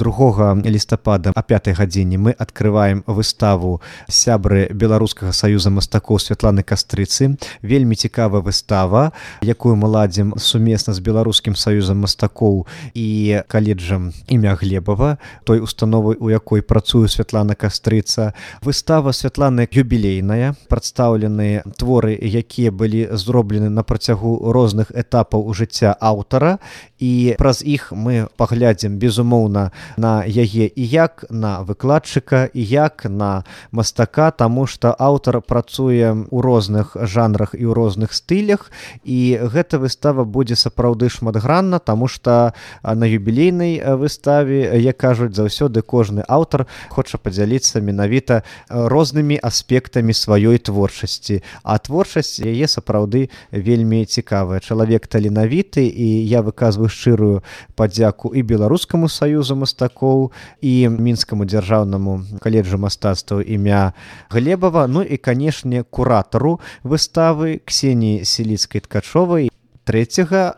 2 лістапада о 5 гадзіне мы адкрываем выставу сябры Беларускага саюза мастакоў Святланы Кастрыцы. Вельмі цікавая выстава, якую мы ладзім сумесна з Беларускім саюзам мастакоў і каледжам імя Глебава, той установай, у якой працуе Святлана Кастрыца. Выстава Святланы юбілейная, прадстаўлены творы, якія былі зроблены на працягу розных этапаў жыцця аўтара, і праз іх мы паглядзім, безумоўна, на яе і як на выкладчыка, і як на мастака, таму што аўтар працуе ў розных жанрах і ў розных стылях, і гэта выстава будзе сапраўды шматгранна, таму што на юбілейнай выставе, як кажуць, заўсёды кожны аўтар хоча падзяліцца менавіта рознымі аспектамі сваёй творчасці, а творчасць яе сапраўды вельмі цікавая. Чалавек таленавіты, і я выказваю шчырую падзяку і Беларускаму саюзу мастакоў, і Мінскаму дзяржаўнаму каледжу мастацтваў імя Глебава, ну і, канешне, куратару выставы Ксеніі Селіцкай-Ткачовай. 3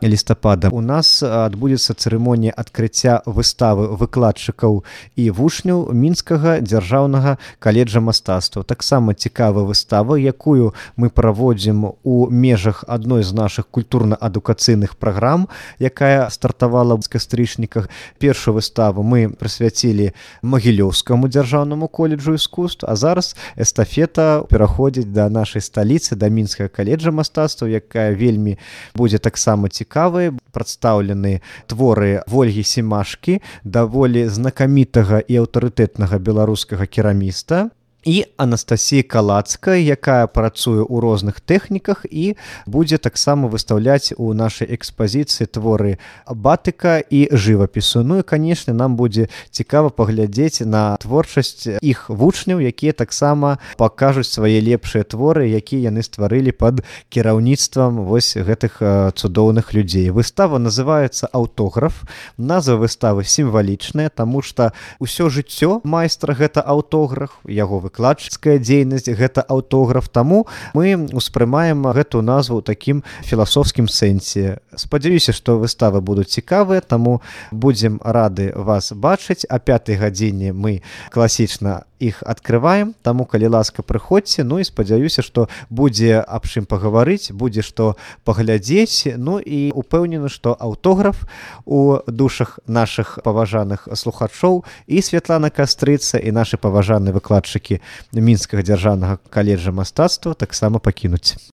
лістапада у нас адбудзецца цырымонія адкрыцця выставы выкладчыкаў і вучняў Мінскага дзяржаўнага каледжа мастацтваў. Таксама цікавая выстава, якую мы праводзім у межах адной з нашых культурна-адукацыйных праграм, якая стартавала ў кастрычніках. Першую выставу мы прысвяцілі Магілёўскаму дзяржаўнаму каледжу іскусств, а зараз эстафета пераходзіць да нашай сталіцы, да Мінскага каледжа мастацтваў, якая вельмі будзе таксама цікавыя. Прадстаўлены творы Вольгі Семашкі, даволі знакамітага і аўтарытэтнага беларускага кераміста, і Анастасіі Калацкай, якая працуе ў розных тэхніках і будзе таксама выстаўляць у нашай экспазіцыі творы батыка і жывапісу. Ну і, канешне, нам будзе цікава паглядзець на творчасць іх вучняў, якія таксама пакажуць свае лепшыя творы, якія яны стварылі пад кіраўніцтвам вось гэтых цудоўных людзей. Выстава называецца «Аўтограф». Назва выставы сімвалічная, таму што ўсё жыццё майстра гэта аўтограф, яго выкладчыцкая дзейнасць гэта аўтограф, таму мы ўспрымаем гэту назву ў такім філасофскім сэнсе. Спадзяюся, што выставы будуць цікавыя, таму будзем рады вас бачыць. О 5 гадзіне мы класічна іх адкрываем, таму, калі ласка, прыходзьце. Ну і спадзяюся, што будзе аб чым пагаварыць, будзе што паглядзець. Ну і упэўнены, што аўтограф у душах нашых паважаных слухачоў і Святлана Кастрыца, і нашы паважаныя выкладчыкі Мінскага дзяржаўнага каледжа мастацтва таксама пакінуць.